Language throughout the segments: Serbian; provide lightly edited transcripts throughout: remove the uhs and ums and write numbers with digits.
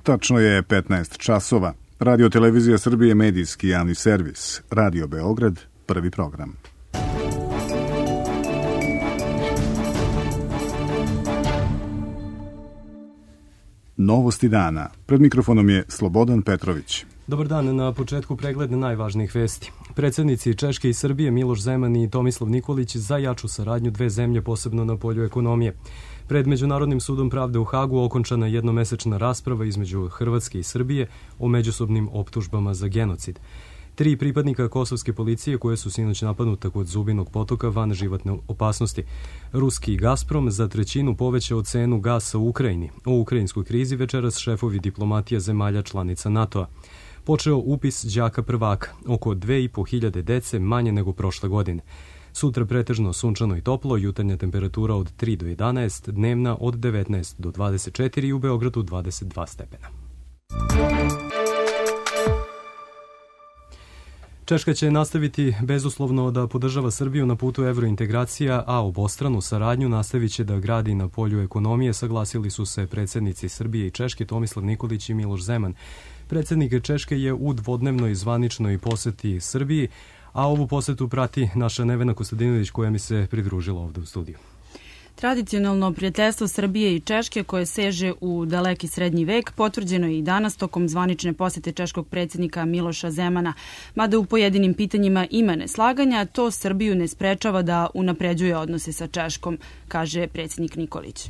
Tačno je 15 časova. Radio Televizija Srbije, medijski javni servis. Radio Beograd, prvi program. Novosti dana. Pred mikrofonom je Slobodan Petrović. Dobar dan, na početku pregled najvažnijih vesti. Predsjednici Češke i Srbije Miloš Zeman i Tomislav Nikolić za jaču saradnju dve zemlje, posebno na polju ekonomije. Pred Međunarodnim sudom pravde u Hagu okončana je jednomesečna rasprava između Hrvatske i Srbije o međusobnim optužbama za genocid. 3 pripadnika kosovske policije koje su sinoć napadnuta kod Zubinog potoka van životne opasnosti. Ruski Gazprom za 1/3 povećao cenu gasa u Ukrajini. O ukrajinskoj krizi večeras šefovi diplomatija zemalja članica NATO-a. Počeo upis đaka prvaka, oko 2.500 dece manje nego prošle godine. Sutra pretežno sunčano i toplo, jutarnja temperatura od 3 do 11, dnevna od 19 do 24 i u Beogradu 22 stepena. Češka će nastaviti bezuslovno da podržava Srbiju na putu evrointegracija, a obostranu saradnju nastavit će da gradi na polju ekonomije, saglasili su se predsjednici Srbije i Češke Tomislav Nikolić i Miloš Zeman. Predsjednik Češke je u dvodnevnoj zvaničnoj poseti Srbiji, a ovu posetu prati naša Nevena Kostadinović koja mi se pridružila ovde u studiju. Tradicionalno prijateljstvo Srbije i Češke koje seže u daleki srednji vek potvrđeno je i danas tokom zvanične posete češkog predsjednika Miloša Zemana. Mada u pojedinim pitanjima ima neslaganja, to Srbiju ne sprečava da unapređuje odnose sa Češkom, kaže predsjednik Nikolić.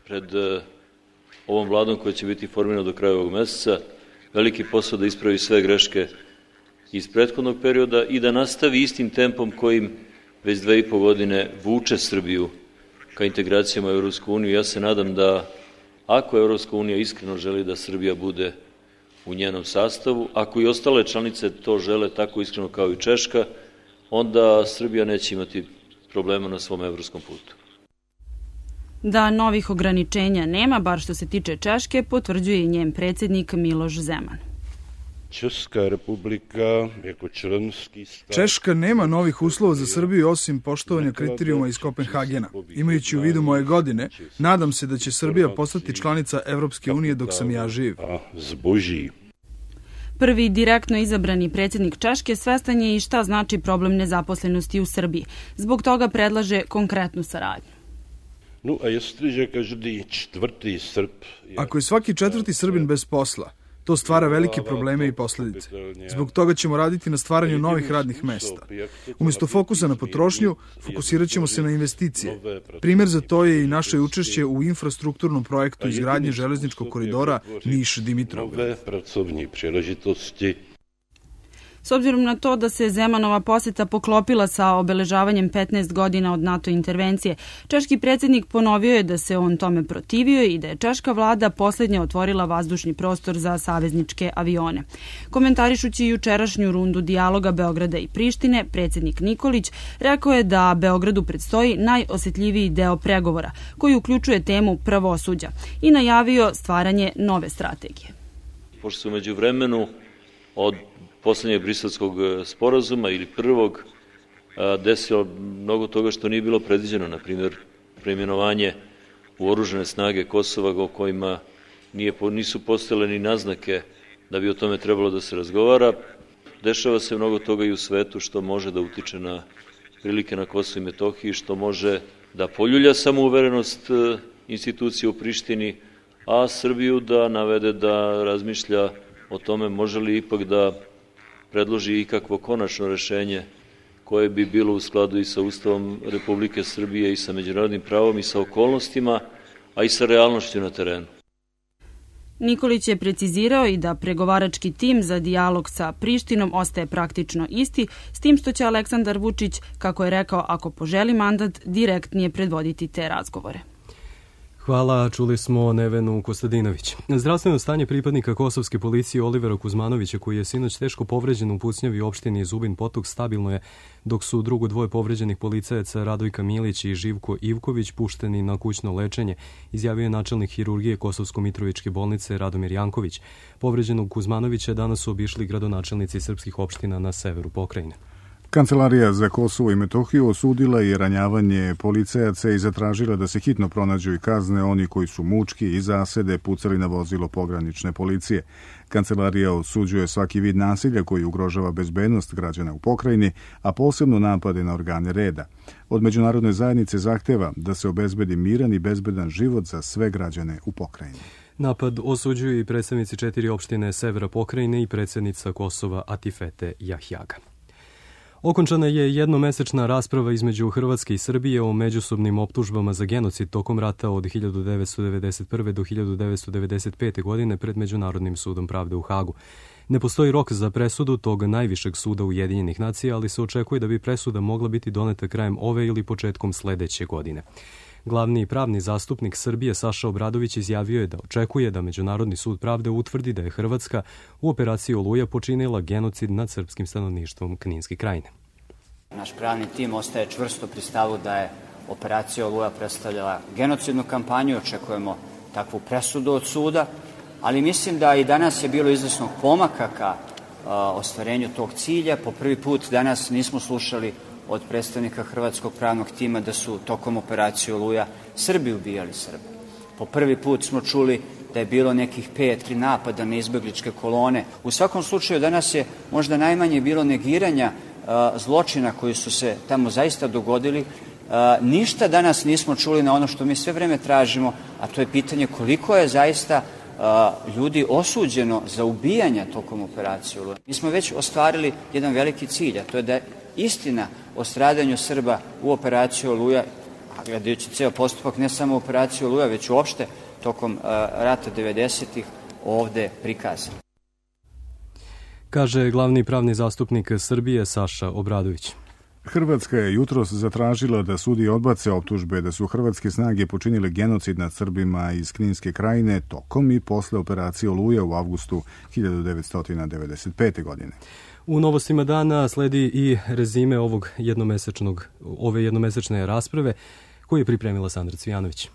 Pred ovom vladom koja će biti formirana do kraja ovog meseca, veliki posao da ispravi sve greške iz prethodnog perioda i da nastavi istim tempom kojim već 2,5 godine vuče Srbiju ka integracijama u Europsku uniju. Ja se nadam da ako Europska unija iskreno želi da Srbija bude u njenom sastavu, ako i ostale članice to žele tako iskreno kao i Češka, onda Srbija neće imati problema na svom evropskom putu. Da novih ograničenja nema, bar što se tiče Češke, potvrđuje i njen predsjednik Miloš Zeman. Češka nema novih uslova za Srbiju osim poštovanja kriterijuma iz Kopenhagena. Imajući u vidu moje godine, nadam se da će Srbija postati članica Evropske unije dok sam ja živ. Prvi direktno izabrani predsjednik Češke svestan je i šta znači problem nezaposlenosti u Srbiji. Zbog toga predlaže konkretnu saradnju. Ako je svaki 4. Srbin bez posla, to stvara velike probleme i posljedice. Zbog toga ćemo raditi na stvaranju novih radnih mesta. Umjesto fokusa na potrošnju, fokusirat ćemo se na investicije. Primjer za to je i naše učešće u infrastrukturnom projektu izgradnje železničkog koridora Niš-Dimitrovgrad. S obzirom na to da se Zemanova poseta poklopila sa obeležavanjem 15 godina od NATO intervencije, češki predsjednik ponovio je da se on tome protivio i da je češka vlada posljednja otvorila vazdušni prostor za savezničke avione. Komentarišući jučerašnju rundu dijaloga Beograda i Prištine, predsjednik Nikolić rekao je da Beogradu predstoji najosjetljiviji deo pregovora, koji uključuje temu pravosuđa i najavio stvaranje nove strategije. Pošto se umeđu vremenu od poslednjeg briselskog sporazuma ili prvog desilo mnogo toga što nije bilo predviđeno, na primjer preimenovanje u oružane snage Kosova o kojima nisu postojale ni naznake da bi o tome trebalo da se razgovara. Dešava se mnogo toga i u svetu što može da utiče na prilike na Kosovu i Metohiji, što može da poljulja samouverenost institucije u Prištini, a Srbiju da navede da razmišlja o tome može li ipak da predloži ikakvo konačno rešenje koje bi bilo u skladu i sa Ustavom Republike Srbije i sa međunarodnim pravom i sa okolnostima, a i sa realnošću na terenu. Nikolić je precizirao i da pregovarački tim za dijalog sa Prištinom ostaje praktično isti, s tim što će Aleksandar Vučić, kako je rekao, ako poželi mandat, direktnije predvoditi te razgovore. Hvala, čuli smo Nevenu Kostadinović. Zdravstveno stanje pripadnika kosovske policije Olivera Kuzmanovića, koji je sinoć teško povređen u pucnjavi opštini Zubin Potok, stabilno je, dok su drugo dvoje povređenih policajaca Radojka Milić i Živko Ivković pušteni na kućno lečenje, izjavio je načelnik hirurgije Kosovsko-Mitrovičke bolnice Radomir Janković. Povređenog Kuzmanovića danas su obišli gradonačelnici srpskih opština na severu pokrajine. Kancelarija za Kosovo i Metohiju osudila je ranjavanje policajaca i zatražila da se hitno pronađu i kazne oni koji su mučki i zasede pucali na vozilo pogranične policije. Kancelarija osuđuje svaki vid nasilja koji ugrožava bezbednost građana u pokrajini, a posebno napade na organe reda. Od međunarodne zajednice zahteva da se obezbedi miran i bezbedan život za sve građane u pokrajini. Napad osuđuju i predstavnici 4 opštine severa pokrajine i predsjednica Kosova Atifete Jahjaga. Okončana je jednomesečna rasprava između Hrvatske i Srbije o međusobnim optužbama za genocid tokom rata od 1991. do 1995. godine pred Međunarodnim sudom pravde u Hagu. Ne postoji rok za presudu tog najvišeg suda Ujedinjenih nacija, ali se očekuje da bi presuda mogla biti doneta krajem ove ili početkom sledeće godine. Glavni pravni zastupnik Srbije Saša Obradović izjavio je da očekuje da Međunarodni sud pravde utvrdi da je Hrvatska u operaciji Oluja počinila genocid nad srpskim stanovništvom Kninske krajine. Naš pravni tim ostaje čvrsto pri stavu da je operacija Oluja predstavljala genocidnu kampanju, očekujemo takvu presudu od suda, ali mislim da i danas je bilo izvesnog pomaka ka ostvarenju tog cilja. Po prvi put danas nismo slušali od predstavnika hrvatskog pravnog tima da su tokom operacije Oluja Srbi ubijali Srbe. Po prvi put smo čuli da je bilo nekih 5 napada na izbegličke kolone. U svakom slučaju danas je možda najmanje bilo negiranja zločina koji su se tamo zaista dogodili. Ništa danas nismo čuli na ono što mi sve vreme tražimo, a to je pitanje koliko je zaista ljudi osuđeno za ubijanja tokom operacije Oluja. Mi smo već ostvarili jedan veliki cilj, a to je da istina o stradanju Srba u operaciji Oluja, a gledajući ceo postupak ne samo operaciju Oluja, već uopšte tokom rata 90-ih ovde prikazan. Kaže glavni pravni zastupnik Srbije Saša Obradović. Hrvatska je jutros zatražila da sudi odbace optužbe da su hrvatske snage počinile genocid nad Srbima iz Kninske krajine tokom i posle operacije Oluja u avgustu 1995. godine. U novostima dana sledi i rezime ove jednomesečne rasprave koju je pripremila Sandra Cvijanović.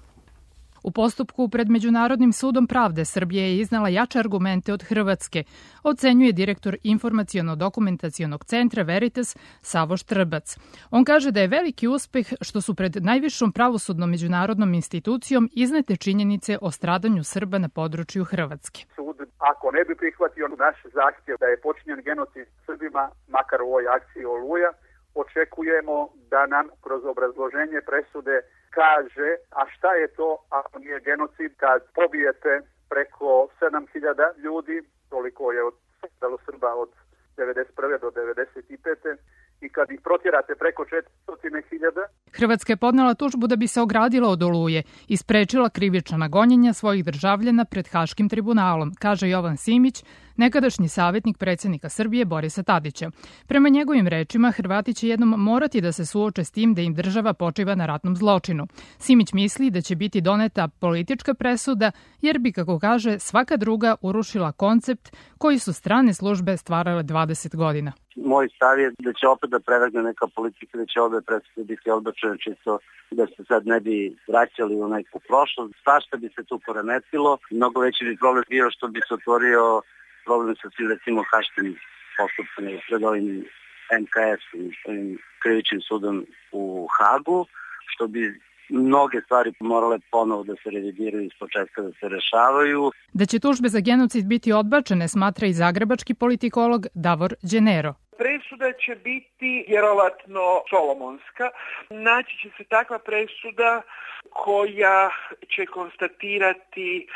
U postupku pred Međunarodnim sudom pravde Srbija je iznala jače argumente od Hrvatske, ocenjuje direktor Informaciono-dokumentacionog centra Veritas Savoš Trbac. On kaže da je veliki uspeh što su pred najvišom pravosudnom međunarodnom institucijom iznete činjenice o stradanju Srba na području Hrvatske. Sud, ako ne bi prihvatio naš zahtjev da je počinjen genocid Srbima, makar u ovoj akciji Oluja, očekujemo da nam kroz obrazloženje presude kaže, a šta je to ako nije genocid kad pobijete preko 7.000 ljudi, toliko je stradalo Srba od 1991. do 1995. i kad ih protjerate preko 400.000. Hrvatska je podnela tužbu da bi se ogradila od Oluje i sprečila krivična gonjenja svojih državljana pred Haškim tribunalom, kaže Jovan Simić, nekadašnji savjetnik predsjednika Srbije Borisa Tadića. Prema njegovim rečima, Hrvati će jednom morati da se suoče s tim da im država počiva na ratnom zločinu. Simić misli da će biti doneta politička presuda, jer bi, kako kaže, svaka druga urušila koncept koji su strane službe stvarale 20 godina. Moj stav je da će opet da prevagne neka politika, da će ove presude biti odbačene čisto da se sad ne bi vraćali u neku prošlost. Svašta bi se tu poremetilo. Mnogo veći bi problem bio što bi se otvorio problem sa svim, recimo, haškim postupcima pred ovim MKS-om, krivičnim sudom u Hagu, što bi mnoge stvari morale ponovo da se revidiraju iz početka, da se rešavaju. Da će tužbe za genocid biti odbačene, smatra i zagrebački politikolog Davor Đenero. Presuda će biti vjerovatno solomonska. Naći će se takva presuda koja će konstatirati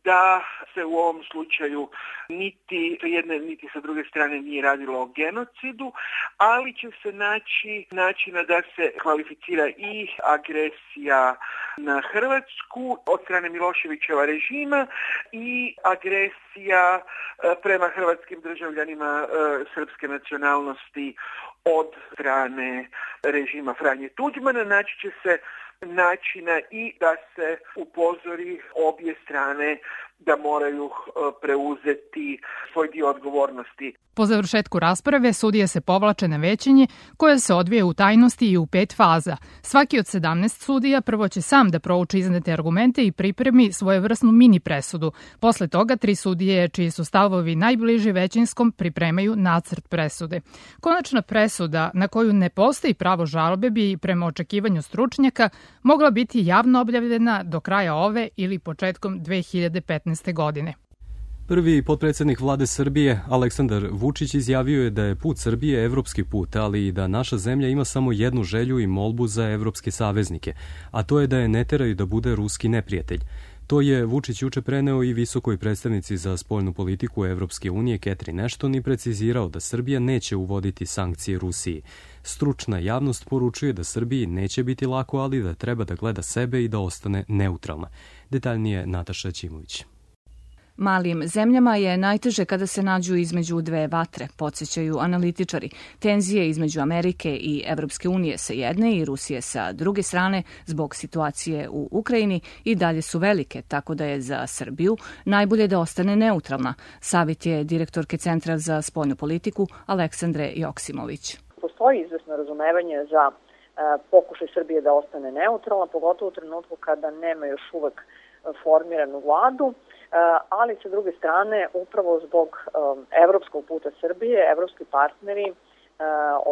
da se u ovom slučaju niti sa jedne niti sa druge strane nije radilo o genocidu, ali će se naći načina da se kvalificira i agresija na Hrvatsku od strane Miloševićeva režima i agresija prema hrvatskim državljanima srpske nacionalnosti od strane režima Franje Tuđmana. Naći će se načina i da se upozori obje strane da moraju preuzeti svoj dio odgovornosti. Po završetku rasprave sudije se povlače na većanje koje se odvije u tajnosti i u 5 faza. Svaki od 17 sudija prvo će sam da prouči iznete argumente i pripremi svojevrsnu mini presudu. Posle toga 3 sudije čiji su stavovi najbliži većinskom pripremaju nacrt presude. Konačna presuda na koju ne postoji pravo žalbe bi prema očekivanju stručnjaka mogla biti javno objavljena do kraja ove ili početkom 2015. godine. Prvi potpredsednik vlade Srbije, Aleksandar Vučić, izjavio je da je put Srbije evropski put, ali i da naša zemlja ima samo jednu želju i molbu za evropske saveznike, a to je da je ne teraju da bude ruski neprijatelj. To je Vučić juče preneo i visokoj predstavnici za spoljnu politiku Evropske unije Catherine Ashton i precizirao da Srbija neće uvoditi sankcije Rusiji. Stručna javnost poručuje da Srbiji neće biti lako, ali da treba da gleda sebe i da ostane neutralna. Detaljnije Nataša Ćimović. Malim zemljama je najteže kada se nađu između dve vatre, podsjećaju analitičari. Tenzije između Amerike i Evropske unije sa jedne i Rusije sa druge strane zbog situacije u Ukrajini i dalje su velike, tako da je za Srbiju najbolje da ostane neutralna. Savjet je direktorke Centra za spoljnu politiku Aleksandre Joksimović. Postoji izvesno razumevanje za pokušaj Srbije da ostane neutralna, pogotovo u trenutku kada nema još uvek formiranu vladu, ali sa druge strane, upravo zbog evropskog puta Srbije, evropski partneri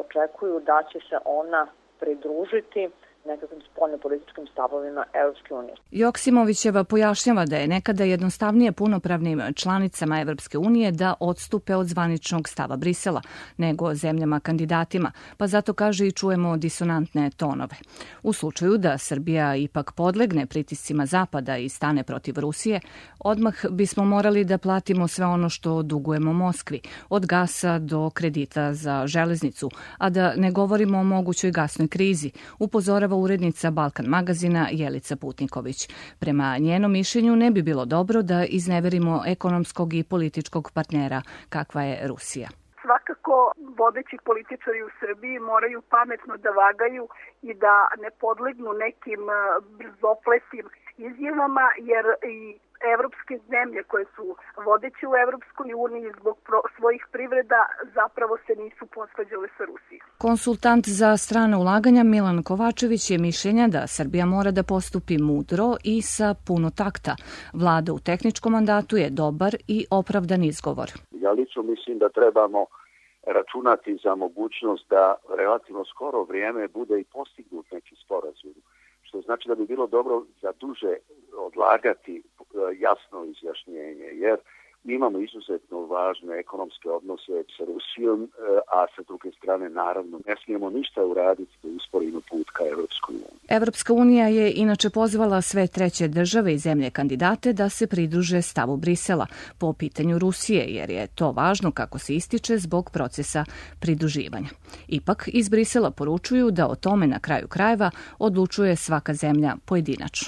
očekuju da će se ona pridružiti nekakvim spoljnopolitičkim stavovima Evropske unije. Joksimovićeva pojašnjava da je nekada jednostavnije punopravnim članicama Evropske unije da odstupe od zvaničnog stava Brisela nego zemljama kandidatima, pa zato kaže i čujemo disonantne tonove. U slučaju da Srbija ipak podlegne pritiscima Zapada i stane protiv Rusije, odmah bismo morali da platimo sve ono što dugujemo Moskvi, od gasa do kredita za železnicu, a da ne govorimo o mogućoj gasnoj krizi, upozorava urednica Balkan magazina Jelica Putniković. Prema njenom mišljenju ne bi bilo dobro da izneverimo ekonomskog i političkog partnera kakva je Rusija. Svakako vodeći političari u Srbiji moraju pametno da vagaju i da ne podlegnu nekim brzopletim izjavama, jer i evropske zemlje koje su vodeće u Evropskoj uniji zbog svojih privreda zapravo se nisu posvađale sa Rusijom. Konsultant za strana ulaganja Milan Kovačević je mišljenja da Srbija mora da postupi mudro i sa puno takta. Vlada u tehničkom mandatu je dobar i opravdan izgovor. Ja lično mislim da trebamo računati za mogućnost da relativno skoro vrijeme bude i postignut neki sporazum, što znači da bi bilo dobro za duže odlagati jasno izjašnjenje, jer mi imamo izuzetno važne ekonomske odnose sa Rusijom, a sa druge strane naravno ne smijemo ništa uraditi da usporimo put ka Evropskoj uniji. Evropska unija je inače pozvala sve treće države i zemlje kandidate da se pridruže stavu Brisela po pitanju Rusije, jer je to važno, kako se ističe, zbog procesa pridruživanja. Ipak iz Brisela poručuju da o tome na kraju krajeva odlučuje svaka zemlja pojedinačno.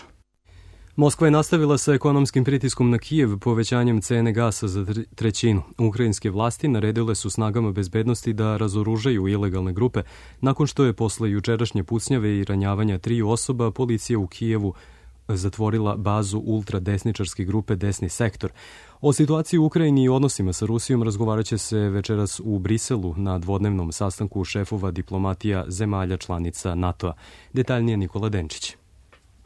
Moskva je nastavila sa ekonomskim pritiskom na Kijev povećanjem cene gasa za trećinu. Ukrajinske vlasti naredile su snagama bezbednosti da razoružaju ilegalne grupe nakon što je posle jučerašnje pucnjave i ranjavanja 3 osoba policija u Kijevu zatvorila bazu ultradesničarske grupe Desni sektor. O situaciji u Ukrajini i odnosima sa Rusijom razgovarat će se večeras u Briselu na dvodnevnom sastanku šefova diplomatija zemalja članica NATO-a. Detaljnije Nikola Denčić.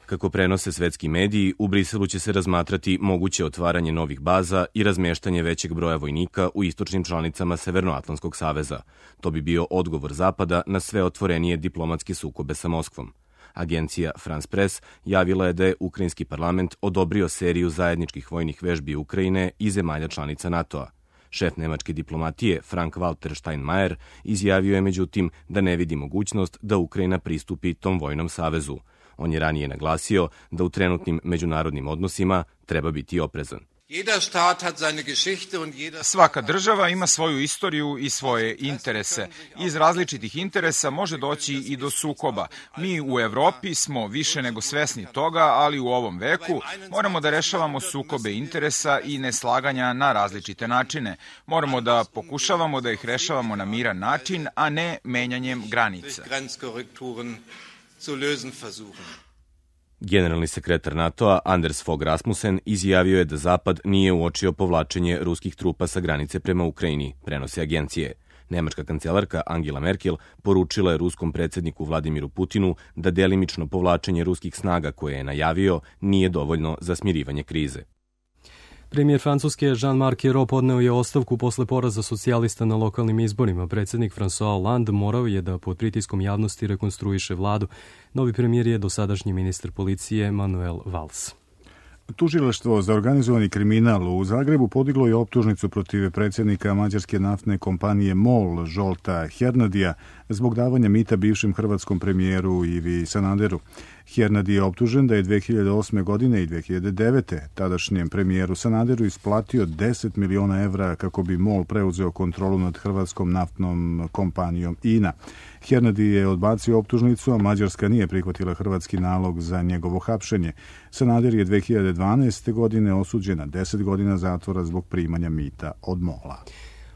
Kako prenose svetski mediji, u Briselu će se razmatrati moguće otvaranje novih baza i razmeštanje većeg broja vojnika u istočnim članicama Severnoatlantskog saveza. To bi bio odgovor Zapada na sve otvorenije diplomatske sukobe sa Moskvom. Agencija France Press javila je da je ukrajinski parlament odobrio seriju zajedničkih vojnih vežbi Ukrajine i zemalja članica NATO-a. Šef nemačke diplomatije Frank-Walter Steinmeier izjavio je međutim da ne vidi mogućnost da Ukrajina pristupi tom vojnom savezu. On je ranije naglasio da u trenutnim međunarodnim odnosima treba biti oprezan. Svaka država ima svoju istoriju i svoje interese. Iz različitih interesa može doći i do sukoba. Mi u Evropi smo više nego svesni toga, ali u ovom veku moramo da rešavamo sukobe interesa i neslaganja na različite načine. Moramo da pokušavamo da ih rešavamo na miran način, a ne menjanjem granica. Generalni sekretar NATO-a Anders Fogh Rasmussen izjavio je da Zapad nije uočio povlačenje ruskih trupa sa granice prema Ukrajini, prenose agencije. Nemačka kancelarka Angela Merkel poručila je ruskom predsjedniku Vladimiru Putinu da delimično povlačenje ruskih snaga koje je najavio nije dovoljno za smirivanje krize. Premijer Francuske Jean-Marc Ayrault podneo je ostavku posle poraza socijalista na lokalnim izborima. Predsjednik François Hollande morao je da pod pritiskom javnosti rekonstruiše vladu. Novi premijer je dosadašnji ministar policije Manuel Valls. Tužilaštvo za organizovani kriminal u Zagrebu podiglo je optužnicu protiv predsjednika mađarske naftne kompanije MOL Zsolta Hernadija zbog davanja mita bivšem hrvatskom premijeru Ivi Sanaderu. Hernadi je optužen da je 2008. godine i 2009. tadašnjem premijeru Sanaderu isplatio 10 miliona evra kako bi MOL preuzeo kontrolu nad hrvatskom naftnom kompanijom INA. Hernadi je odbacio optužnicu, a Mađarska nije prihvatila hrvatski nalog za njegovo hapšenje. Sanader je 2012. godine osuđen na 10 godina zatvora zbog primanja mita od MOL-a.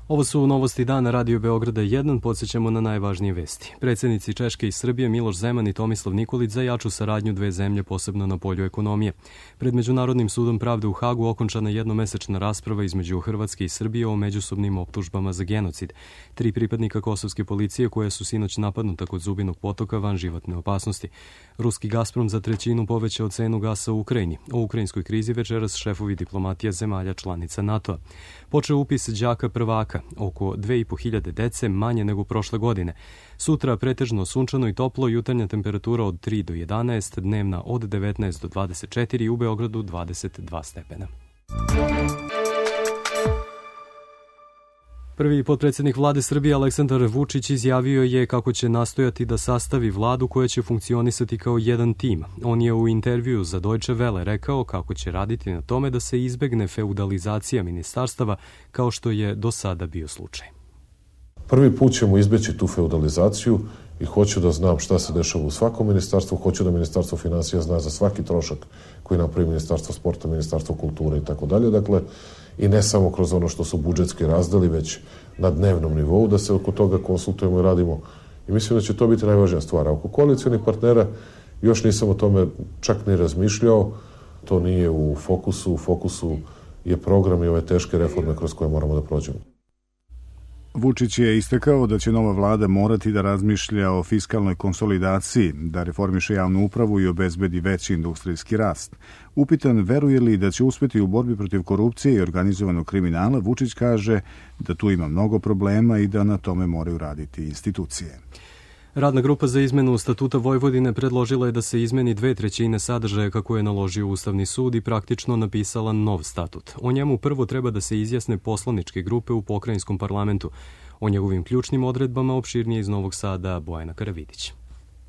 Ovo su novosti dana Radio Beograda 1, podsjećamo na najvažnije vesti. Predsjednici Češke i Srbije Miloš Zeman i Tomislav Nikolić za jaču saradnju dve zemlje, posebno na polju ekonomije. Pred Međunarodnim sudom pravde u Hagu okončana jednomesečna rasprava između Hrvatske i Srbije o međusobnim optužbama za genocid. 3 pripadnika kosovske policije koje su sinoć napadnuta kod Zubinog potoka van životne opasnosti. Ruski Gazprom za 1/3 povećao cenu gasa u Ukrajini. O ukrajinskoj krizi večeras šefovi diplomatija zemalja članica NATO-a. Počeo upis đaka prvaka. Oko 2.500 dece, manje nego prošle godine. Sutra pretežno sunčano i toplo, jutarnja temperatura od 3 do 11, dnevna od 19 do 24, u Beogradu 22 stepena. Prvi potpredsjednik vlade Srbije Aleksandar Vučić izjavio je kako će nastojati da sastavi vladu koja će funkcionisati kao jedan tim. On je u intervju za Deutsche Welle rekao kako će raditi na tome da se izbegne feudalizacija ministarstava kao što je do sada bio slučaj. Prvi put ćemo izbeći tu feudalizaciju i hoću da znam šta se dešava u svakom ministarstvu, hoću da Ministarstvo finansija zna za svaki trošak koji napravi Ministarstvo sporta, Ministarstvo kulture i tako dalje. Dakle, i ne samo kroz ono što su budžetski razdeli, već na dnevnom nivou, da se oko toga konsultujemo i radimo. I mislim da će to biti najvažnija stvar. A oko koalicionih partnera još nisam o tome čak ni razmišljao. To nije u fokusu je program i ove teške reforme kroz koje moramo da prođemo. Vučić je istakao da će nova vlada morati da razmišlja o fiskalnoj konsolidaciji, da reformiše javnu upravu i obezbedi veći industrijski rast. Upitan veruje li da će uspjeti u borbi protiv korupcije i organizovanog kriminala, Vučić kaže da tu ima mnogo problema i da na tome moraju raditi institucije. Radna grupa za izmenu Statuta Vojvodine predložila je da se izmeni 2/3 sadržaja kako je naložio Ustavni sud i praktično napisala nov statut. O njemu prvo treba da se izjasne poslaničke grupe u pokrajinskom parlamentu. O njegovim ključnim odredbama opširnije iz Novog Sada Bojana Karavidić.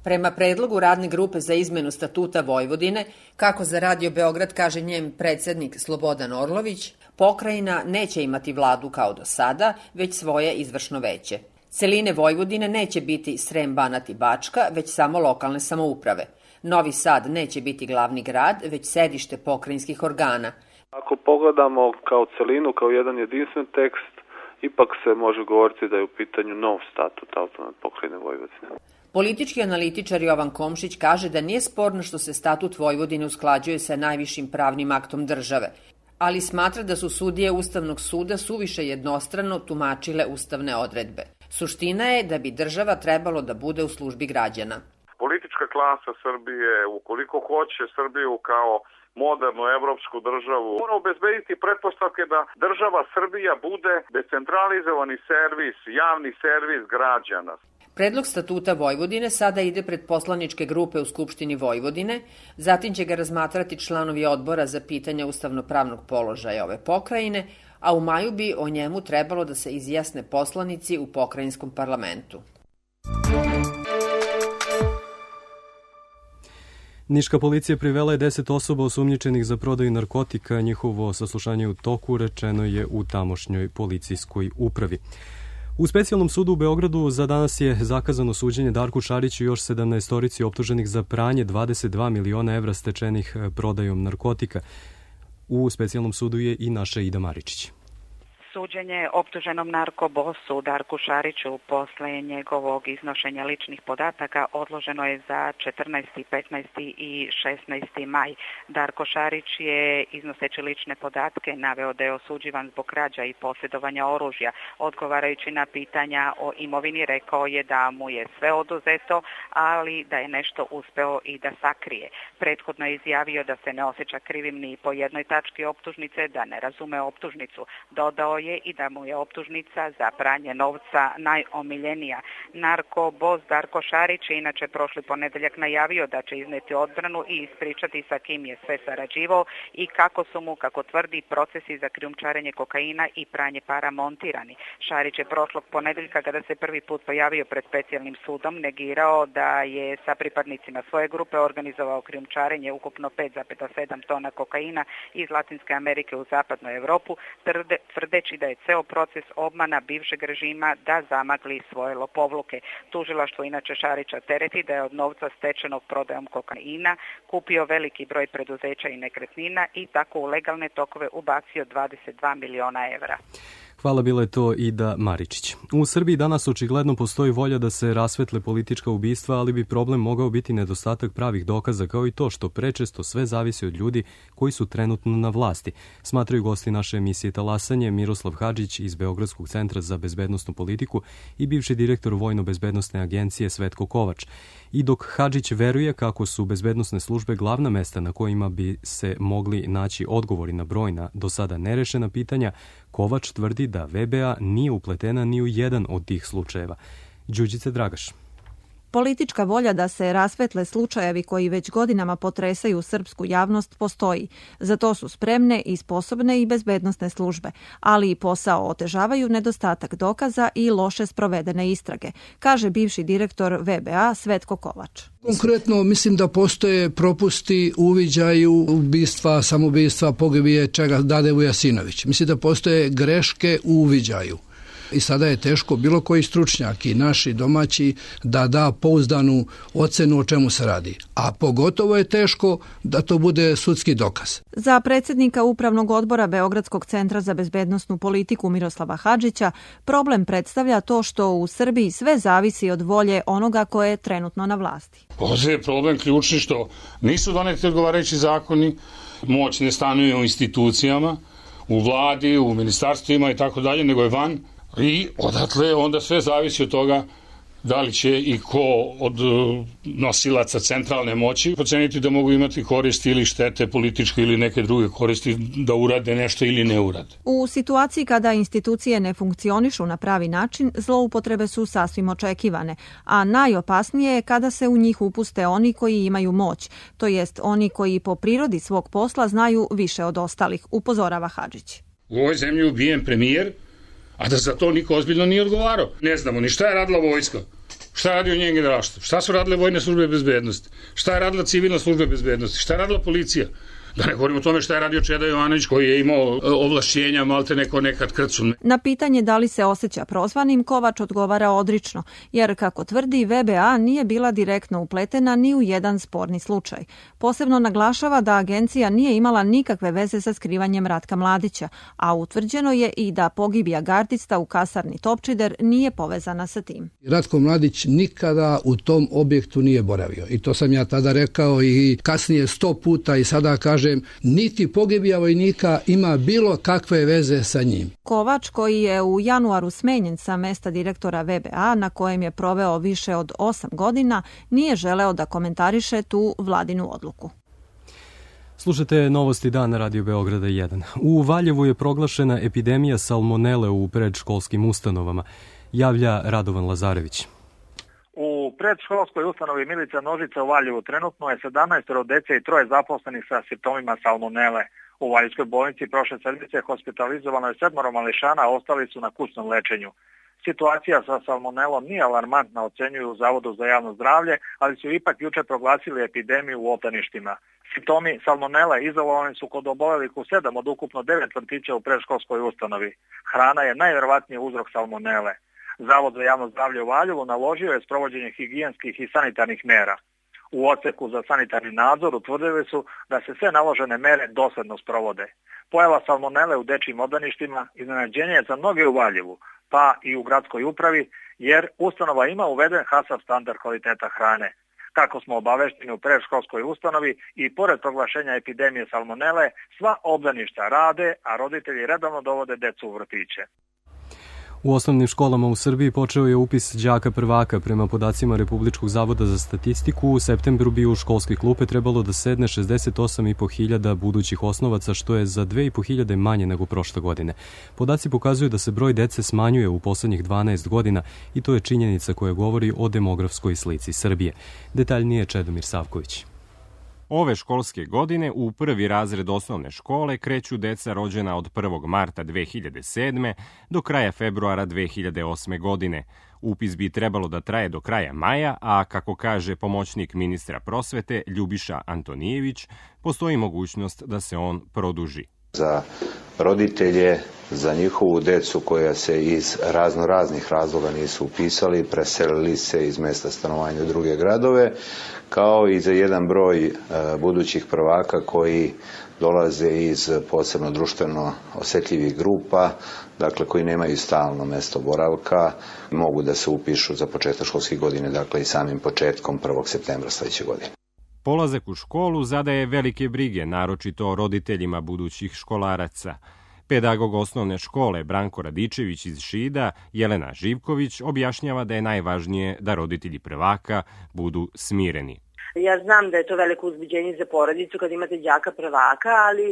Prema predlogu Radne grupe za izmenu Statuta Vojvodine, kako za Radio Beograd kaže njen predsjednik Slobodan Orlović, pokrajina neće imati vladu kao do sada, već svoje izvršno veće. Celine Vojvodine neće biti Srem, Banat i Bačka, već samo lokalne samouprave. Novi Sad neće biti glavni grad, već sedište pokrajinskih organa. Ako pogledamo kao celinu, kao jedan jedinstven tekst, ipak se može govoriti da je u pitanju nov statut autonomne pokrajine Vojvodine. Politički analitičar Jovan Komšić kaže da nije sporno što se statut Vojvodine usklađuje sa najvišim pravnim aktom države, ali smatra da su sudije Ustavnog suda suviše jednostrano tumačile ustavne odredbe. Suština je da bi država trebalo da bude u službi građana. Politička klasa Srbije, ukoliko hoće Srbiju kao modernu evropsku državu, mora obezbediti pretpostavke da država Srbija bude decentralizovani servis, javni servis građana. Predlog statuta Vojvodine sada ide pred poslaničke grupe u Skupštini Vojvodine, zatim će ga razmatrati članovi odbora za pitanja ustavno-pravnog položaja ove pokrajine, a u maju bi o njemu trebalo da se izjasne poslanici u pokrajinskom parlamentu. Niška policija privela je 10 osoba osumnjičenih za prodaju narkotika. Njihovo saslušanje u toku, rečeno je u tamošnjoj policijskoj upravi. U specijalnom sudu u Beogradu za danas je zakazano suđenje Darku Šariću i još 17 optuženih za pranje 22 miliona evra stečenih prodajom narkotika. U specijalnom sudu je i naša Ida Maričić. Suđenje optuženom narkobosu Darku Šariću posle njegovog iznošenja ličnih podataka odloženo je za 14., 15. i 16. maj. Darko Šarić je iznoseći lične podatke naveo da je osuđivan zbog krađa i posjedovanja oružja. Odgovarajući na pitanja o imovini rekao je da mu je sve oduzeto, ali da je nešto uspeo i da sakrije. Prethodno je izjavio da se ne osjeća krivim ni po jednoj tački optužnice, da ne razume optužnicu. Dodao je i da mu je optužnica za pranje novca najomiljenija. Narkobos Darko Šarić je inače prošli ponedeljak najavio da će izneti odbranu i ispričati sa kim je sve sarađivao i kako su mu, kako tvrdi, procesi za krijumčarenje kokaina i pranje para montirani. Šarić je prošlog ponedeljka, kada se prvi put pojavio pred specijalnim sudom, negirao da je sa pripadnicima svoje grupe organizovao krijumčarenje ukupno 5,7 tona kokaina iz Latinske Amerike u zapadnu Evropu, tvrdeći da je ceo proces obmana bivšeg režima da zamagli svoje lopovluke. Tužilaštvo inače Šarića tereti da je od novca stečenog prodajom kokaina kupio veliki broj preduzeća i nekretnina i tako u legalne tokove ubacio 22 miliona evra. Hvala, bila je to Ida Maričić. U Srbiji danas očigledno postoji volja da se rasvetle politička ubistva, ali bi problem mogao biti nedostatak pravih dokaza, kao i to što prečesto sve zavisi od ljudi koji su trenutno na vlasti, smatraju gosti naše emisije Talasanje Miroslav Hadžić iz Beogradskog centra za bezbednosnu politiku i bivši direktor Vojno-bezbednosne agencije Svetko Kovač. I dok Hadžić veruje kako su bezbednosne službe glavna mesta na kojima bi se mogli naći odgovori na brojna do sada nerešena pitanja, Kovač tvrdi da VBA nije upletena ni u jedan od tih slučajeva. Đurđice Dragaš. Politička volja da se rasvetle slučajevi koji već godinama potresaju srpsku javnost postoji. Za to su spremne i sposobne i bezbednosne službe, ali i posao otežavaju nedostatak dokaza i loše sprovedene istrage, kaže bivši direktor VBA Svetko Kovač. Konkretno mislim da postoje propusti u uviđaju ubistva, samoubistva, pogibije čega Dade Vujasinović. Mislim da postoje greške u uviđaju. I sada je teško bilo koji stručnjak i naši domaći da pouzdanu ocenu o čemu se radi. A pogotovo je teško da to bude sudski dokaz. Za predsjednika Upravnog odbora Beogradskog centra za bezbednosnu politiku Miroslava Hadžića problem predstavlja to što u Srbiji sve zavisi od volje onoga ko je trenutno na vlasti. Ovdje je problem ključni što nisu doneti odgovarajući zakoni, moć ne stanuje u institucijama, u vladi, u ministarstvima i tako dalje, nego je van. I odatle onda sve zavisi od toga da li će i ko od nosilaca centralne moći proceniti da mogu imati koristi ili štete političke ili neke druge koristi da urade nešto ili ne urade. U situaciji kada institucije ne funkcionišu na pravi način, zloupotrebe su sasvim očekivane, a najopasnije je kada se u njih upuste oni koji imaju moć, to jest oni koji po prirodi svog posla znaju više od ostalih, upozorava Hadžić. U ovoj zemlji ubijen premijer, a da za to niko ozbiljno nije odgovarao. Ne znamo ni šta je radila vojska, šta je radio njen generalštvo, šta su radile vojne službe bezbednosti, šta je radila civilna služba bezbednosti, šta je radila policija. Da ne govorimo o tome šta je radio Čeda Jovanović koji je imao ovlašćenja malte neko nekad krcu. Na pitanje da li se osjeća prozvanim, Kovač odgovara odrično, jer kako tvrdi VBA nije bila direktno upletena ni u jedan sporni slučaj. Posebno naglašava da agencija nije imala nikakve veze sa skrivanjem Ratka Mladića, a utvrđeno je i da pogibija gardista u kasarni Topčider nije povezana sa tim. Ratko Mladić nikada u tom objektu nije boravio i to sam ja tada rekao i kasnije 100 puta i sada kažem, niti pogibija vojnika ima bilo kakve veze sa njim. Kovač, koji je u januaru smenjen sa mesta direktora VBA, na kojem je proveo više od 8 godina, nije želeo da komentariše tu vladinu odluku. Slušate Novosti dana na Radio Beograda 1. U Valjevu je proglašena epidemija salmonele u predškolskim ustanovama. Javlja Radovan Lazarević. U predškolskoj ustanovi Milica Nožica u Valjevu trenutno je 17 dece i 3 zaposlenih sa simptomima salmonele. U Valjevskoj bolnici prošle sedmice hospitalizovano je 7 mališana, a ostali su na kućnom lečenju. Situacija sa salmonelom nije alarmantna, ocenjuju u Zavodu za javno zdravlje, ali su ipak juče proglasili epidemiju u obdaništima. Simptomi salmonele izolovani su kod obolelih u 7 od ukupno 9 vrtića u predškolskoj ustanovi. Hrana je najvjerovatniji uzrok salmonele. Zavod za javno zdravlje u Valjevu naložio je sprovođenje higijenskih i sanitarnih mera. u odseku za sanitarni nadzor utvrdili su da se sve naložene mere dosledno sprovode. Pojava salmonele u dečijim obdaništima iznenađenje je za mnoge u Valjevu, pa i u gradskoj upravi, jer ustanova ima uveden HACCP standard kvaliteta hrane. Kako smo obavešteni u predškolskoj ustanovi i pored proglašenja epidemije salmonele, sva obdaništa rade, a roditelji redovno dovode decu u vrtiće. U osnovnim školama u Srbiji počeo je upis đaka prvaka. Prema podacima Republičkog zavoda za statistiku, u septembru bi u školske klupe trebalo da sedne 68.500 budućih osnovaca, što je za 2.500 manje nego prošle godine. Podaci pokazuju da se broj dece smanjuje u poslednjih 12 godina i to je činjenica koja govori o demografskoj slici Srbije. Detaljnije Čedomir Savković. Ove školske godine u prvi razred osnovne škole kreću deca rođena od 1. marta 2007. do kraja februara 2008. godine. Upis bi trebalo da traje do kraja maja, a kako kaže pomoćnik ministra prosvete Ljubiša Antonijević, postoji mogućnost da se on produži. Za roditelje, za njihovu decu koja se iz raznih razloga nisu upisali, preselili se iz mesta stanovanja u druge gradove, kao i za jedan broj budućih prvaka koji dolaze iz posebno društveno osetljivih grupa, dakle koji nemaju stalno mesto boravka, mogu da se upišu za početak školske godine, dakle i samim početkom 1. septembra sledeće godine. Polazak u školu zadaje velike brige, naročito roditeljima budućih školaraca. Pedagog osnovne škole Branko Radičević iz Šida, Jelena Živković, objašnjava da je najvažnije da roditelji prvaka budu smireni. Ja znam da je to veliko uzbuđenje za porodicu kad imate đaka prvaka, ali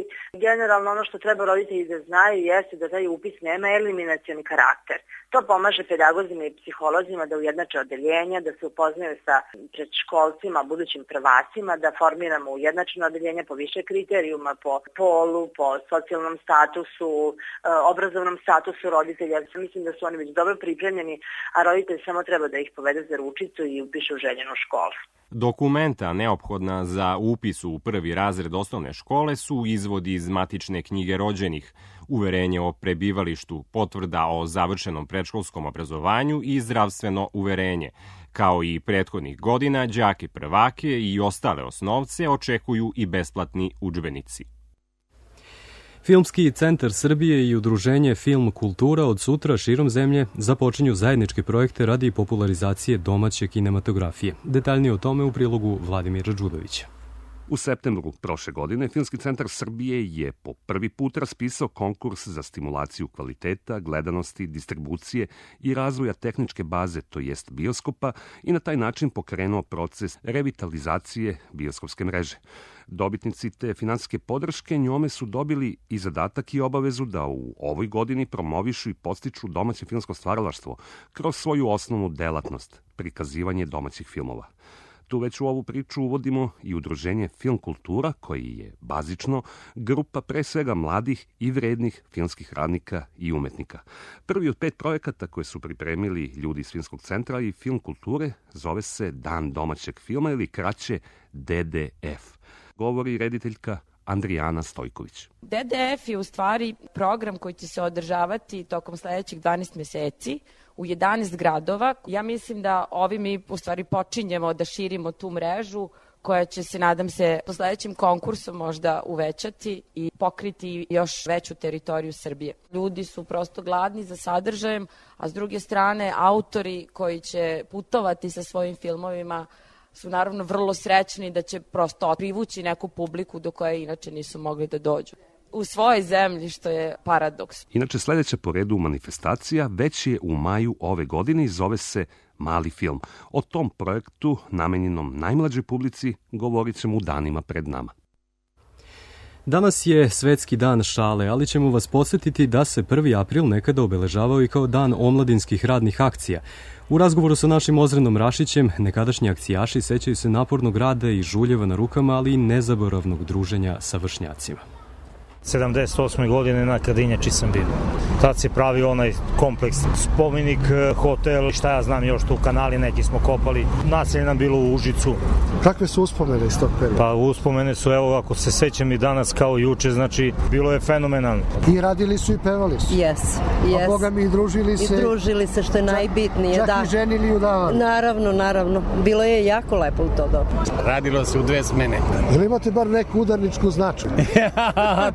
generalno ono što treba roditelji da znaju jeste da taj upis nema eliminacioni karakter. To pomaže pedagozima i psiholozima da ujednače odeljenja, da se upoznaju sa predškolcima, budućim prvacima, da formiramo ujednačeno odeljenje po više kriterijuma, po polu, po socijalnom statusu, obrazovnom statusu roditelja. Mislim da su oni već dobro pripremljeni, a roditelj samo treba da ih povede za ručicu i upiše u željenu školu. Dokumenta neophodna za upis u prvi razred osnovne škole su izvodi iz matične knjige rođenih, uverenje o prebivalištu, potvrda o završenom predškolskom obrazovanju i zdravstveno uverenje. Kao i prethodnih godina, đake prvake i ostale osnovce očekuju i besplatni udžbenici. Filmski centar Srbije i udruženje Film Kultura od sutra širom zemlje započinju zajedničke projekte radi popularizacije domaće kinematografije. Detaljnije o tome u prilogu Vladimira Đudovića. U septembru prošle godine Filmski centar Srbije je po prvi put raspisao konkurs za stimulaciju kvaliteta, gledanosti, distribucije i razvoja tehničke baze, to jest bioskopa, i na taj način pokrenuo proces revitalizacije bioskopske mreže. Dobitnici te finansijske podrške njome su dobili i zadatak i obavezu da u ovoj godini promovišu i podstiču domaće filmsko stvaralaštvo kroz svoju osnovnu delatnost, prikazivanje domaćih filmova. Tu već u ovu priču uvodimo i udruženje Film Kultura, koji je bazično grupa pre svega mladih i vrednih filmskih radnika i umetnika. Prvi od 5 projekata koje su pripremili ljudi iz Filmskog centra i Film Kulture zove se Dan domaćeg filma ili kraće DDF. Govori rediteljka Andrijana Stojković. DDF je u stvari program koji će se održavati tokom sledećih 12 meseci u 11 gradova. Ja mislim da ovim mi u stvari počinjemo da širimo tu mrežu koja će se, nadam se, po sledećem konkursu možda uvećati i pokriti još veću teritoriju Srbije. Ljudi su prosto gladni za sadržajem, a s druge strane autori koji će putovati sa svojim filmovima su naravno vrlo srećni da će prosto privući neku publiku do koje inače nisu mogli da dođu u svojoj zemlji, što je paradoks. Inače, sledeća po redu manifestacija već je u maju ove godine i zove se Mali film. O tom projektu, namenjenom najmlađoj publici, govorit ćemo u danima pred nama. Danas je Svetski dan šale, ali ćemo vas podsjetiti da se 1. april nekada obeležavao i kao dan omladinskih radnih akcija. U razgovoru sa našim Ozrenom Rašićem, nekadašnji akcijaši sećaju se napornog rada i žuljeva na rukama, ali i nezaboravnog druženja sa vršnjacima. 78. godine na Kadinjači sam bio. Tad se pravi onaj kompleks, spomenik, hotel, šta ja znam još tu kanali neki smo kopali. Naselje nam bilo u Užicu. Kakve su uspomene iz tog perioda? Pa uspomene su, evo, ako se sećam i danas kao juče, znači bilo je fenomenalno. I radili su i pevali su. Jes. A Boga mi i družili se. I družili se, što je najbitnije. Čak i ženili i udavali. Naravno. Bilo je jako lepo u to doba. Radilo se u 2 smene. Ili imate bar neku udarničku značku?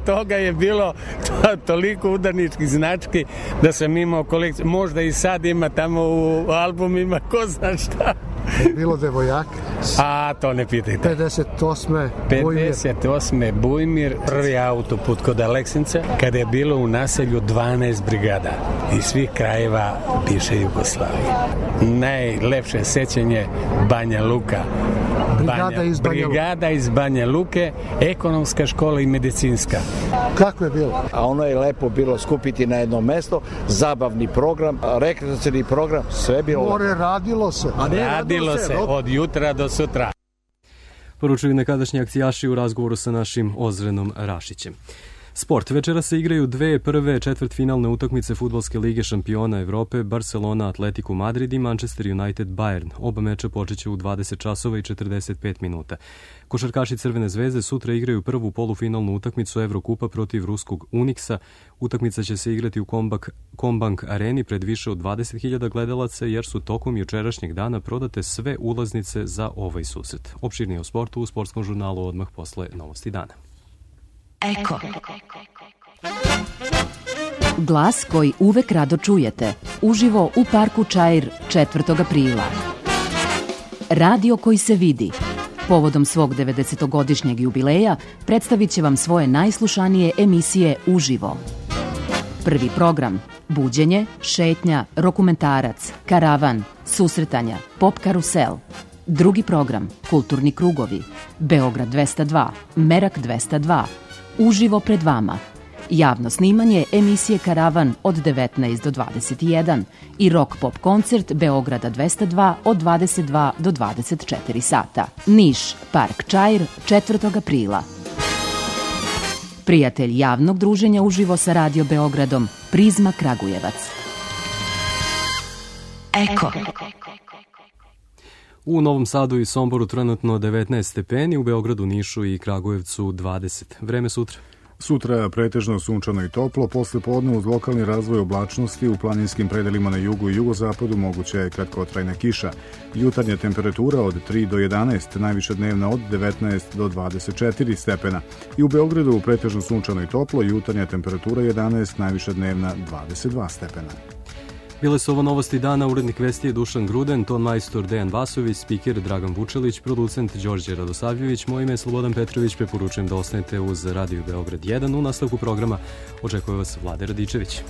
Toga je bilo toliko udarničkih znački da sam imao kolekciju. Možda i sad ima tamo u albumima, ko zna šta. Bilo devojaka? A, to ne pitajte. 58. Bujmir, prvi autoput kod Aleksinca, kada je bilo u naselju 12 brigada iz svih krajeva bivše Jugoslavije. Najlepše sećanje Banja Luka. Brigada iz Banja Luke, ekonomska škola i medicinska. Kako je bilo? A ono je lepo bilo skupiti na jedno mesto, zabavni program, rekreacioni program, sve bilo. More, radilo se. Radilo se od jutra do sutra. Poručuju nekadašnji akcijaši u razgovoru sa našim Ozrenom Rašićem. Sport. Večera se igraju 2 prve četvrtfinalne utakmice Fudbalske lige šampiona Evrope, Barcelona Atletico Madrid i Manchester United Bayern. Oba meča počeće u 20 časova i 45 minuta. Košarkaši Crvene zvezde sutra igraju prvu polufinalnu utakmicu Evrokupa protiv ruskog Uniksa. Utakmica će se igrati u Combank areni pred više od 20.000 gledalaca, jer su tokom jučerašnjeg dana prodate sve ulaznice za ovaj susret. Opširnije o sportu u sportskom žurnalu odmah posle novosti dana. Eko. Glas koji uvek rado čujete, uživo u parku Čair 4. aprila. Radio koji se vidi. Povodom svog 90-godišnjeg jubileja predstavit će vam svoje najslušanije emisije uživo. Prvi program: buđenje, šetnja, dokumentarac, karavan, susretanja, pop karusel. Drugi program: kulturni krugovi, Beograd 202, Merak 202, uživo pred vama. Javno snimanje emisije Karavan od 19 do 21 i rock pop koncert Beograda 202 od 22 do 24 sata. Niš, Park Čair, 4. aprila. Prijatelj javnog druženja uživo sa Radio Beogradom, Prizma Kragujevac. Eko. U Novom Sadu i Somboru trenutno 19 stepeni, u Beogradu, Nišu i Kragujevcu 20. Vreme sutra. Sutra pretežno sunčano i toplo, posle podne uz lokalni razvoj oblačnosti u planinskim predelima na jugu i jugozapadu moguća je kratkotrajna kiša. Jutarnja temperatura od 3 do 11, najviša dnevna od 19 do 24 stepena. I u Beogradu pretežno sunčano i toplo, jutarnja temperatura 11, najviša dnevna 22 stepena. Bile su ovo novosti dana, urednik vesti je Dušan Gruden, ton majstor Dejan Vasović, spiker Dragan Vučelić, producent Đorđe Radosavljević, moje ime je Slobodan Petrović, preporučujem da ostanete uz Radio Beograd 1. U nastavku programa očekuje vas Vlade Radičević.